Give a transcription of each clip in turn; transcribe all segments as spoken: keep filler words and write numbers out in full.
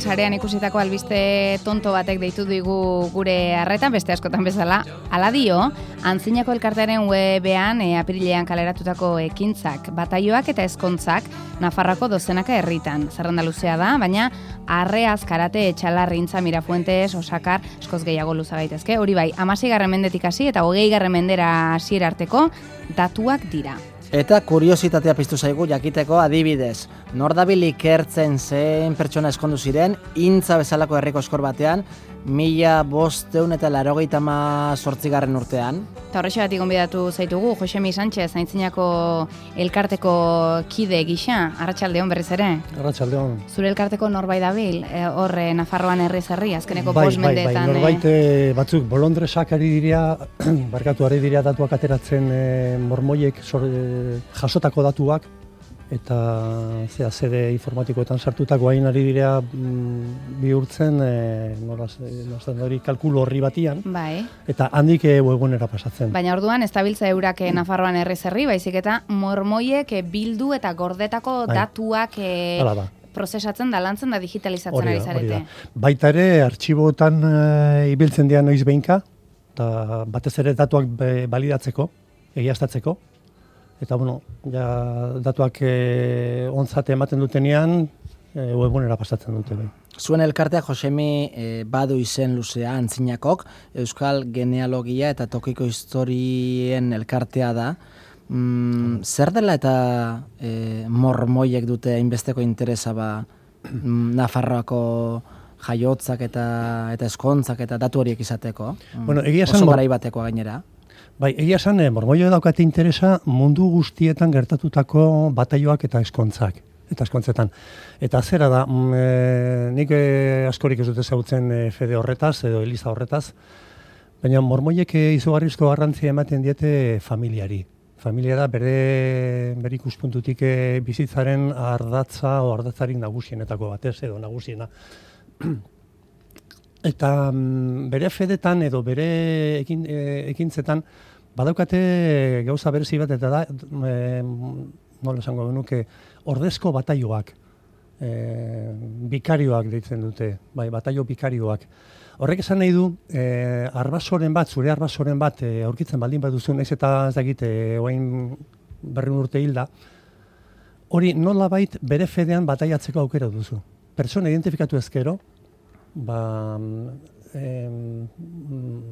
Sarean ikusitako albiste tonto batek deitu digu gure arretan, beste askotan bezala. Hala dio, Antzinako elkartearen webean e, apirilean kaleratutako ekintzak, bataioak eta ezkontzak Nafarroako dozenaka herritan. Zerrenda luzea da, baina Arreaz, Karate, Etxalarrintza, Mirafuentes, Osakar, eskoz gehiago luza gaitezke. Hori bai, hamaseigarren mendetik hasi eta hogeigarren mendera hasiera arteko datuak dira. Eta kuriositatea piztu zaigu jakiteko adibidez. Nordabil ikertzen zein pertsona eskondu ziren, Intza bezalako herriko eskor batean, mila bosteun eta larogeita hamazortzigarren urtean. Eta horrexegatik gonbidatu zaitugu, Josemi Sánchez, Aintzinako elkarteko kide gisa, arratsaldeon berriz ere. Arratsaldeon. Zure elkarteko norbait dabil, horre Nafarroan herriz herri, azkeneko bai, bost mendeetan. Bai, bai, norbait e, batzuk bolondresak ari diria, barkatu ari diria datuak ateratzen e, mormoiek sor, e, jasotako datuak, eta zera zede informatikoetan sartutako hain ari direa mm, bihurtzen e, nolaz, nolaz, hori kalkulu horri batian, bai. Eta handik e, webgunera pasatzen. Baina orduan ez dabiltza eurak mm. Nafarroan herriz herri, baizik eta mormoiek e, bildu eta gordetako bai. Datuak e, prozesatzen da, lantzen da, digitalizatzen ari zarete. Baita ere, artxiboetan e, ibiltzen dira noiz behinka, eta batez ere datuak be, balidatzeko, egiaztatzeko. Eta, bueno, ja, datuak e, ontzate ematen dutenean, e, webgunera pasatzen dute. Bai. Zuen elkartea, Josemi, e, badu izen luzea Antzinakok, Euskal Genealogia eta Tokiko Historien elkartea da. Mm, zer dela eta e, mormoiek dute hainbesteko interesa ba, Nafarroako jaiotzak eta, eta eskontzak eta datu horiek izateko? Bueno, egia esan, oso garai batekoa gainera. Bai, egia esan, eh, mormoio daukate interesa mundu guztietan gertatutako bataioak eta eskontzak, eta eskontzetan. Eta zera da, mm, e, nik e, askorik ez dute zautzen e, fede horretaz, edo eliza horretaz, baina mormoiek e, izugarrizko garrantzia ematen diete familiari. Familia da bere, bere ikuspuntutik e, bizitzaren ardatza o ardatzarik nagusienetako batez, edo nagusiena. Eta mm, bere fedetan edo bere ekin, e, ekintzetan badaukate gauza berezi bat eta da, e, nola esango genuke, ordezko bataioak, e, bikarioak deitzen dute, bai, bataio bikarioak. Horrek esan nahi du, e, arbasoren bat, zure arbasoren bat, e, aurkitzen baldin baduzu, naiz eta ez dakit, e, oain berrehun urte hilda, hori nolabait bere fedean bataiatzeko aukera duzu. Pertsona identifikatu ezkero, ba, eh,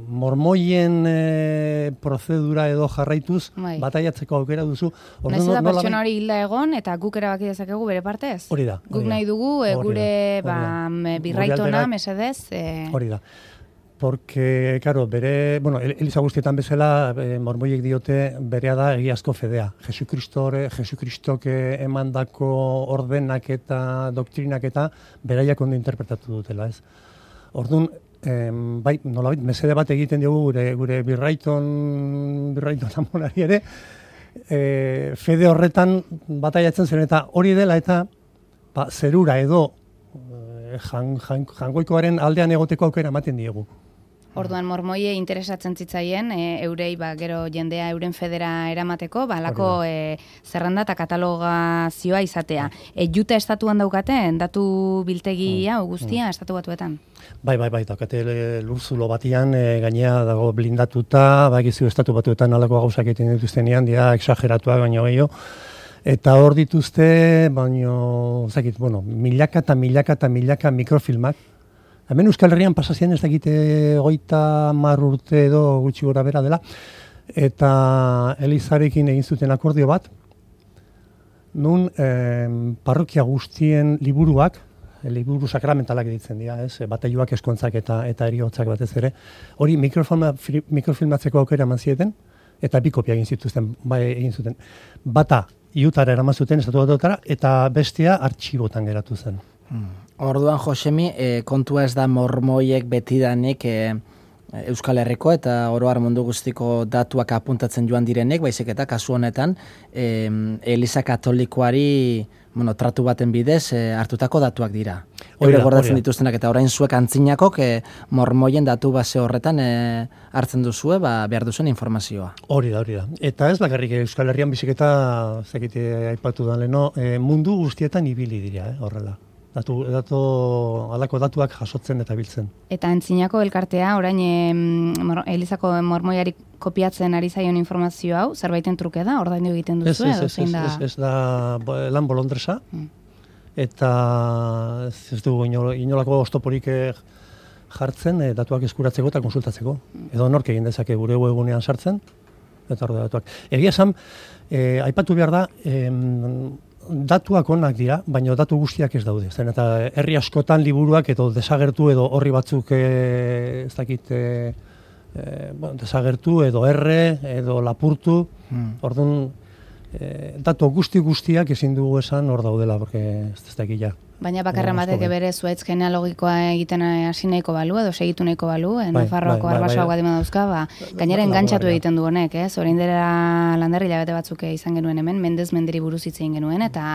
mormoien eh, prozedura edo jarraituz bai. Bataiatzeko aukera duzu. Naiz eta pertsona hori hilda egon eta guk erabaki dezakegu bere partez? Hori da. Guk nahi dugu e, gure ba, birraitona, mesedez. E... Hori da. Porque, claro, bere, bueno, eliza guztietan bezala, e, mormoiek diote berea da egiazko fedea. Jesukristore, Jesukristok emandako ordenak eta doktrinak eta beraiak ondo interpretatu dutela, ez? Orduan, em, bai, nolabait, mesede bat egiten diogu gure, gure birraiton, birraiton amonari ere, e, fede horretan bataiatzen zen eta hori dela eta ba, zerura edo jan, jan, jangoikoaren aldean egoteko aukera ematen diegu. Orduan mormoie interesatzen zitzaien, e, eurei ba, gero jendea euren federa eramateko, ba, lako e, zerrenda eta katalogazioa izatea. E, Juta estatuan daukaten, datu biltegi hau guztia estatu batuetan? Bai, bai, bai, daukate lurzulo batian, e, gainea dago blindatuta, ba, gizu estatu batuetan alako gauzak egiten dituztenean, dia exageratuak baino gehiago. Eta hor dituzte, baino, zakit, bueno, milaka eta milaka eta milaka mikrofilmak. Hemen Euskal Herrian pasazien ez dakite goita mar urte edo gutxi gora bera dela. Eta Elizarekin egin zuten akordio bat. Nun eh, parrokia guztien liburuak, liburu sakramentalak ditzen dira, ez? Bataioak, eskontzak eta eta heriotzak batez ere. Hori mikrofilmatzeko aukera eman zieten, eta bi kopia egin zituzten, bai egin zuten. Bata, Iutara eraman zuten, estatu batutara, eta bestea artxibotan geratu zen. Hmm. Orduan, Josemi, e, kontua ez da mormoiek betidanik e, Euskal Herriko eta oroar mundu guztiko datuak apuntatzen joan direnek, baizik eta kasu honetan e, Eliza Katolikoari bueno, tratu baten bidez e, hartutako datuak dira. Hori gordatzen dituztenak eta orain zuek Antzinakok e, mormoien datu base horretan e, hartzen duzue, ba, behar duzuen informazioa. Hori da, hori da. Eta ez bakarrik Euskal Herrian biziketa, zekite aipatu da leno, e, mundu guztietan ibili dira, eh, horrela. Datu, datu, alako datuak jasotzen eta biltzen. Eta Antzinako elkartea, orain e, mor, Elizako mormoiari kopiatzen ari zaion informazio hau, zerbaiten truke da, ordaindu egiten duzu, ez, edo ez, zein ez, da? Ez, ez da lan bolondresa, mm. eta ez, ez dugu inolako oztoporik jartzen e, datuak eskuratzeko eta konsultatzeko. Mm. Edo nork egin dezake gure webgunean sartzen, eta hor datuak. Egia esan, e, aipatu behar da, e, datuak onak dira, baina datu guztiak ez daude. Zen eta herri askotan liburuak edo desagertu edo horri batzuk e, ez dakit e, e, bueno, desagertu edo erre edo lapurtu. Hmm. Orduan e, datu guzti guztiak ezin dugu esan hor daudela, porque ez, ez dakit ja. Baina bakarra batek bere zuaitz genealogikoa egiten hasi nahiko balu, edo segitu nahiko balu, bai, Nafarroako bai, arbasoak bai, bai. dauzka, ba, gainera engantzatu egiten du honek, ez? Orain dela landerri labete batzuk izan genuen hemen, Mendez Menderi buruz hitz egin genuen, eta,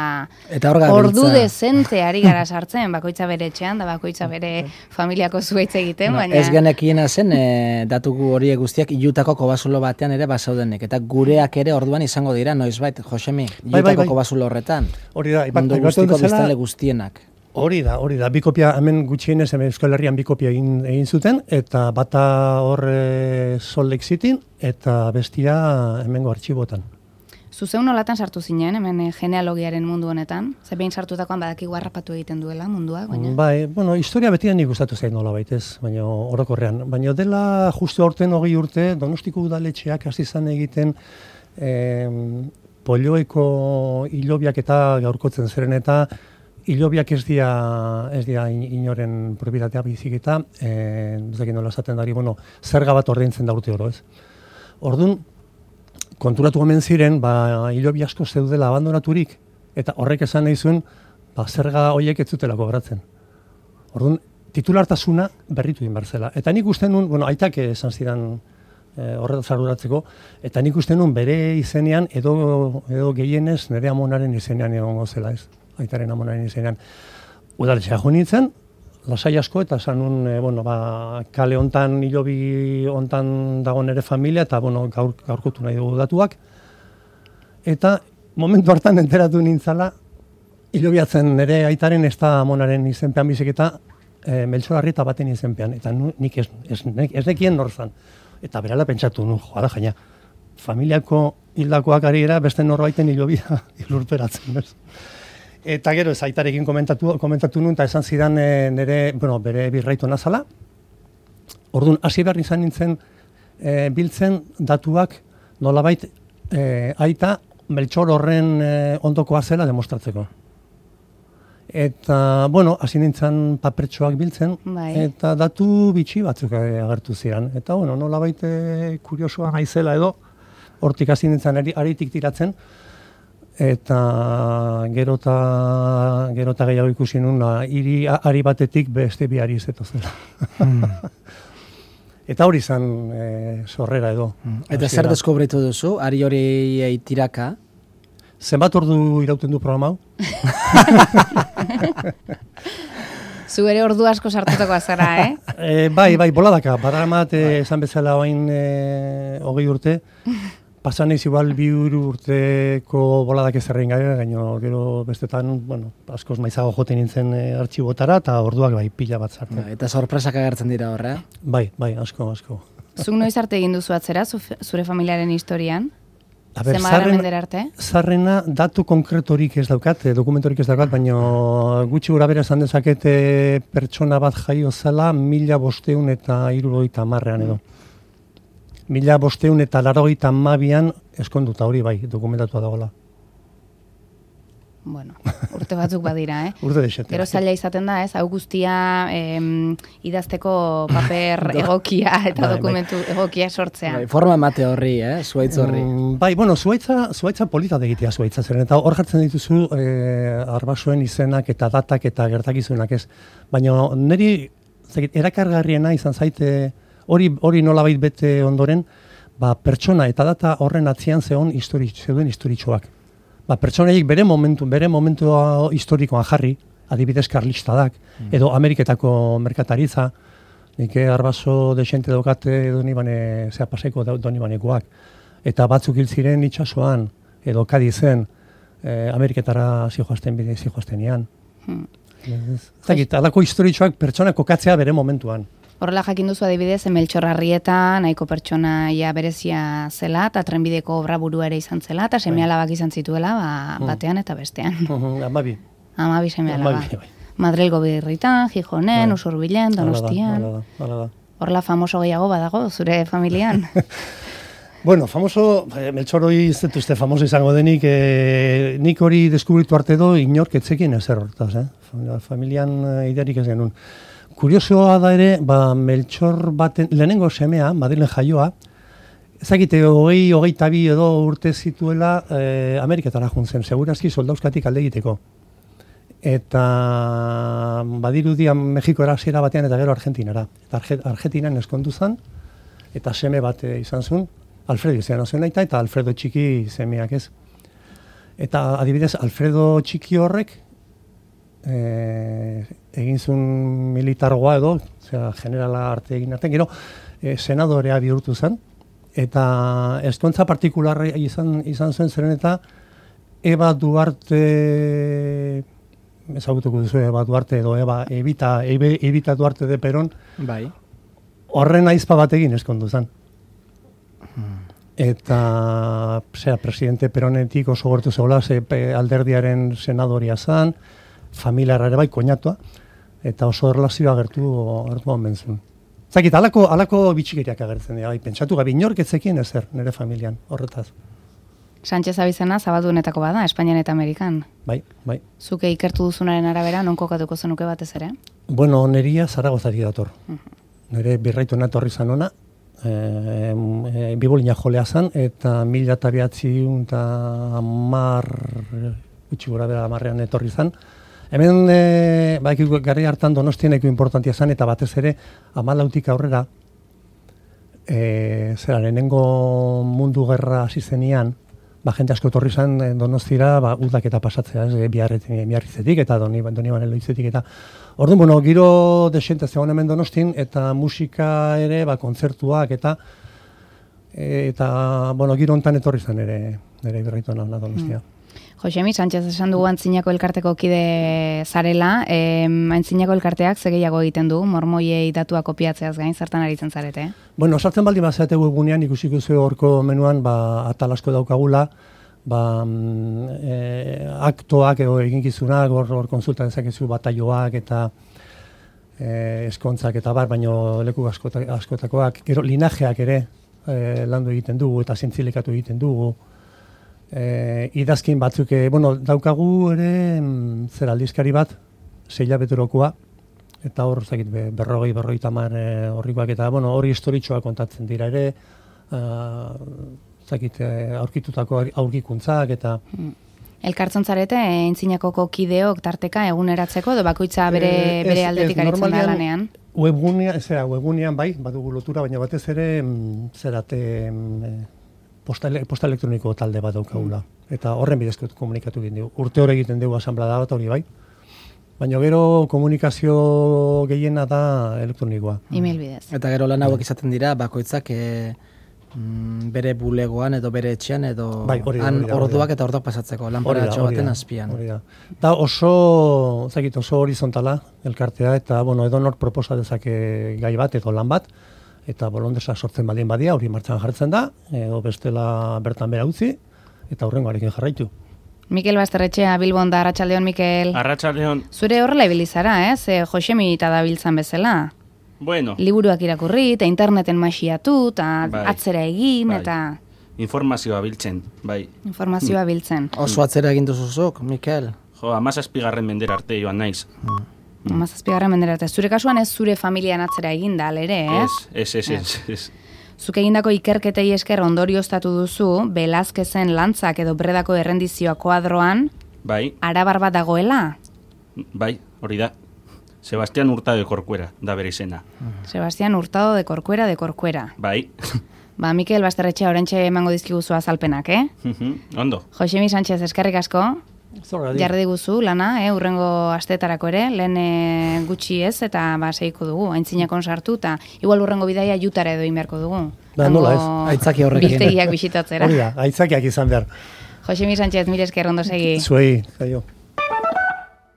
eta ordu dezente ari gara sartzen, bakoitza bere etxean, da bakoitza bere familiako zuaitz egiten, no, baina... Ez genekiena zen, e, datu horiek guztiak ilutako kobazulo batean ere basaudenek, eta gureak ere orduan izango dira, noizbait, Josemi, ilutako bai, bai, bai. kobazulo horretan. Hori da, mundu guztiko biztanle guztienak. Hori da, hori da, bi kopia, hemen gutxienez, hemen Euskal Herrian bi kopia egin, egin zuten, eta bata hor e, Salt Lake Cityn, eta bestia hemengo artxibotan. Zuzeu nolatan sartu zinen, hemen genealogiaren mundu honetan? Ze behin sartutakoan badakigu harrapatu egiten duela munduak, baina? Bai, bueno, historia betian nik gustatu zain nola baitez, baina orokorrean. Baina dela justu aurten hogei urte, Donostiko udaletxeak hasi izan egiten eh, polioeko hilobiak eta gaurkotzen zeren eta hilobiak ez dira, ez dira inoren propietatea bizik eta, eh, ez dakit nola esaten dari, bueno, zerga bat ordaintzen da urte oro, ez? Orduan, konturatu omen ziren, ba, hilobi asko zeudela abandonaturik, eta horrek esan nahi zuen, ba, zerga horiek ez zutela kobratzen. Orduan, titulartasuna berritu egin behar zela. Eta nik uste nun, bueno, aitak esan zidan e, horretaz arduratzeko, eta nik uste nun bere izenean, edo, edo gehienez, nire amonaren izenean egongo zela, ez? Aitaren amonaren izenean. Udaletxea jo nintzen, lasai asko, eta esan nun, e, bueno, ba, kale hontan, hilobi hontan dago nire familia, eta bueno, gaur, gaurkotu nahi dugu datuak. Eta momentu hartan enteratu nintzala, hilobiatzen nire aitaren ez da amonaren izenpean bizik eta e, Meltxolarrieta baten izenpean. Eta nu, nik ez, ez, ez nekien norzan. Eta berala pentsatu, nu, joa da jaina, familiako hildakoak ari era beste norbaiten hilobia ilurperatzen, bez? Eta gero ez aitarekin komentatu, komentatu nuen, eta esan zidan e, nire, bueno, bere birraitu nazala. Orduan, hasi behar izan nintzen e, biltzen datuak nolabait e, aita Meltxor horren e, ondokoa zela demostratzeko. Eta, bueno, hasi nintzen papertxoak biltzen, bai. Eta datu bitxi batzuk agertu ziren. Eta, bueno, nolabait e, kuriosoa naizela edo, hortik hasi nintzen aritik tiratzen, eta gero eta gero eta gehiago ikusi nuen, hiri ari batetik beste bi ari izeto zela. Hmm. Eta hori izan e, sorrera edo. Hmm. Eta zer deskubritu duzu, ari hori tiraka? Zenbat ordu irauten du programa hau? Zu ere ordu asko sartutako azara, eh? e, bai, bai, boladaka. Badaramat e, esan bezala oain e, hogei urte. Pasan ez igual bi urteko boladak ezerrein gara, gaino gero bestetan, bueno, askoz maizago joten nintzen e, artxibotara, eta orduak bai, pila bat zartzen. Eta sorpresak agertzen dira horre? Bai, bai, asko, asko. Zuk noiz arte egin duzu atzera, zure familiaren historian? Aber, zarrena, zarrena datu konkretorik ez daukat, dokumentorik ez daukat, baina gutxi gura bera esan dezakete pertsona bat jaio zela mila bosteun eta hirurogeita hamarrean edo. Mila bosteun eta larogeita hamabian eskonduta hori bai, dokumentatua dagoela. Bueno, urte batzuk badira, eh? Urte desete. Gero zaila izaten da, ez? Hau guztia em, idazteko paper egokia eta bai, dokumentu bai. egokia sortzea. Bai, forma emate horri, eh? Zuaitz horri. Mm, bai, bueno, zuaitza, zuaitza polita degitea zuaitza zeren, eta hor jartzen dituzu eh, arbasoen izenak eta datak eta gertakizunak, ez? Baina niri erakargarriena izan zaite hori hori nolabait bete ondoren, ba, pertsona eta data horren atzian zeon histori, zeuden historitxoak. Ba, pertsonaiek bere momentu, bere momentu historikoan jarri, adibidez karlistadak, mm. edo Ameriketako merkataritza, nik arbaso desente daukate doni bane, zea paseko doni banekoak, eta batzuk hil ziren itxasoan, edo Kadizen, eh, Ameriketara zijoazten bide zijoaztenian. Mm. Zagit, alako historitxoak pertsona kokatzea bere momentuan. Horrela jakin duzu adibidez, Meltxor Arrieta nahiko pertsonaia berezia zela, eta trenbideko obra burua ere izan zela, eta seme alabak izan zituela, ba, batean eta bestean. Amabi. Amabi seme alaba. Madrilgo birritan, Gijonen, Usurbilen, Donostian. Horrela famoso gehiago badago, zure familian? Bueno, famoso, Meltxor hori ez dut uste famoso izango denik, eh, nik hori deskubritu arte do, inork etzekin ezer hortaz, eh? Familian idearik ez genuen. Kuriosoa da ere, ba, Meltxor baten, lehenengo semea, Madrilen jaioa, ezakite, hogei, hogei tabi edo urte zituela eh, Ameriketara juntzen, segurazki soldauskatik alde egiteko. Eta badirudian Mexiko erasiera batean eta gero Argentinara. Eta Argentinan eskondu zen, eta seme bat izan zuen, Alfredo izan zuen aita, eta Alfredo txiki semeak ez. Eta adibidez, Alfredo txiki horrek, e, egin zuen militargoa edo, zera, generala arte egin arte, gero, e, senadorea bihurtu zen, eta eskontza partikularra izan, izan zuen zeren eta Eba Duarte, ezagutuko duzu Eba Duarte edo Eba Evita, Ebe, Evita Duarte de Peron, bai. Horren aizpa bat egin eskondu zen. Eta zera, presidente Peronetik oso gortu zegoela, ze alderdiaren senadoria zen, familiara ere bai koinatua, eta oso erlazioa agertu agertu onbentzun. Zakit, alako, alako bitxikeriak agertzen dira, bai, pentsatu gabi, inork etzekin ezer, nire familian, horretaz. Sánchez abizena zabaldunetako bada, Espainian eta Amerikan. Bai, bai. Zuke ikertu duzunaren arabera, non kokatuko zenuke batez ere? Bueno, neria Zaragozatik dator. Uh -huh. Nire birraitu natorri zan ona, e, e, bibolina jolea zan, eta mila eta behatzi eta amar, gutxi gura bera amarrean etorri zan. Hemen, e, ba, garri hartan Donostieneko importantia zan, eta batez ere, amalautik aurrera, e, zera, lehenengo mundu gerra hasi zenean, ba, jente asko etorri zan Donostira, ba, udak eta pasatzea, ez, biarritzetik eta doni, doni banen loitzetik, eta orduan, bueno, giro desente zegoen hemen Donostin, eta musika ere, ba, kontzertuak, eta, eta, bueno, giro hontan etorri zen ere, ere birraitu na Donostia. Mm. Josemi, Sánchez esan dugu Antzinako elkarteko kide zarela, eh, Antzinako elkarteak ze gehiago egiten du, mormoiei datua kopiatzeaz gain, zertan aritzen zarete? Bueno, sartzen baldin bazate webgunean, ikusiko zuen horko menuan, ba, atal asko daukagula, ba, e, aktoak edo eginkizunak, hor, hor konsulta dezakezu bataioak eta e, eskontzak eta bar, baino leku askota, askotakoak, gero linajeak ere e, landu egiten dugu eta zientzilikatu egiten dugu. E, idazkin batzuk, e, bueno, daukagu ere mm, zer aldizkari bat, zeila beturokoa, eta hor, zakit, berrogei, berrogei tamar e, horrikoak, eta, bueno, hori historitxoa kontatzen dira ere, uh, zakit, e, aurkitutako aurkikuntzak, eta... Elkartzen zarete, Antzinakoko kideok tarteka eguneratzeko, edo bakoitza bere, e, ez, bere aldetik ez, aritzen da lanean? Webgunean, zera, webgunean bai, badugu lotura, baina batez ere, mm, zerate... Mm, Posta, posta elektroniko talde bat daukagula. Mm. Eta horren bidezko komunikatu egin dugu. Urte hori egiten dugu asamblea bat hori bai. Baina gero komunikazio gehiena da elektronikoa. E-mail bidez. Eta gero lan hauek izaten dira, bakoitzak e, mm, bere bulegoan edo bere etxean edo bai, hori da, han hori da, orduak hori da. eta orduak pasatzeko, lanparatxo baten azpian. Hori da. Da oso, zakit, oso horizontala elkartea, eta bueno, edo nor proposa dezake gai bat edo lan bat, eta bolondesa sortzen baldin badia, hori martxan jartzen da, edo bestela bertan bera utzi, eta hurrengoarekin jarraitu. Mikel Basterretxea, Bilbon da, Arratsaldeon Mikel. Arratsaldeon. Zure horrela ibilizara, ez? Eh? Josemi eta dabiltzan bezala. Bueno. Liburuak irakurri, eta interneten masiatu, eta bai. Atzera egin, bai. Eta... Informazioa biltzen, bai. Informazioa biltzen. Oso atzera egin duzuzuk, Mikel? Jo, amazazpigarren mendera arte joan naiz. Mm. Amazazpigarren mendera arte. Zure kasuan ez zure familian atzera egin da, alere, ez? Ez, ez, ez, ez. Zuk egindako ikerketei esker ondorioztatu duzu, Velázquezen lantzak edo Bredako errendizioa koadroan, bai. Arabar bat dagoela? Bai, hori da. Sebastián Hurtado de Corcuera, da bere izena. Sebastián Hurtado de Corcuera de Corcuera. Bai. Ba, Mikel Basterretxea orentxe emango dizkiguzu azalpenak, eh? Ondo. Josemi Sánchez, eskerrik asko. Jarri diguzu lana, eh, urrengo astetarako ere, lehen e, gutxi ez, eta ba, segiko dugu, Antzinakon sartu, eta igual urrengo bidaia jutara edo inberko dugu. Da, nola ez, aitzaki horrekin. Biltegiak bisitatzera. Hori da, aitzakiak izan behar. Josemi Sánchez, mire esker ondo segi. Zuei, jaio.